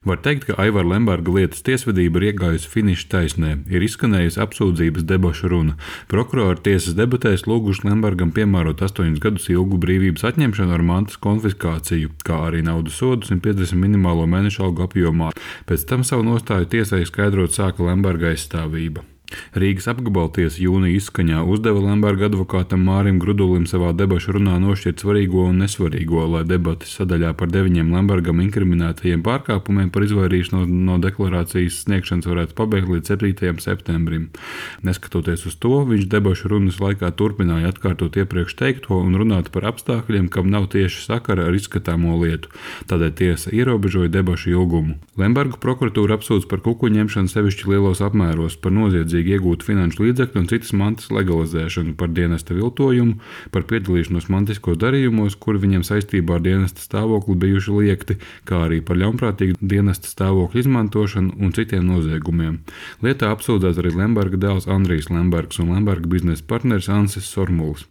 Var teikt, ka Aivara Lemberga lietas tiesvedība ir iegājusi finiša taisnē, ir izskanējusi apsūdzības debašu runa. Prokurori tiesas debatēs lūguši Lembergam piemērot 8 gadus ilgu brīvības atņemšanu ar mantas konfiskāciju, kā arī naudas sodu 150 minimālo mēnešu algu apjomā. Pēc tam savu nostāju tiesai skaidrot sāka Lemberga aizstāvība. Rīgas apgabaltiesa jūnija izskaņā uzdeva Lemberga advokātam Mārim Grudulim savā debašu runā nošķirt svarīgo un nesvarīgo, lai debates sadaļā par 9 Lembergam inkriminētajiem pārkāpumiem par izvairīšanos no deklarācijas sniegšanas varētu pabeigt līdz 7. septembrim. Neskatoties uz to, viņš debašu runas laikā turpināja atkārtot iepriekš teikto un runāt par apstākļiem, kam nav tieši sakara ar izskatāmo lietu. Tādēļ tiesa ierobežoja debašu ilgumu. Lembergu prokuratūra apsūdz par kukuļu ņemšanu sevišķi lielos apmēros, par noziedzīgu iegūt finanšu līdzekļu un citas mantas legalizēšanu, par dienesta viltojumu, par piedalīšanos mantiskos darījumos, kuri viņiem saistībā ar dienesta stāvokli bijuši liekti, kā arī par ļaunprātīgu dienesta stāvokļu izmantošanu un citiem noziegumiem. Lietā apsūdzēts arī Lemberga dēls Andrijs Lembergs un Lemberga biznesa partneris Ansis Sormuls.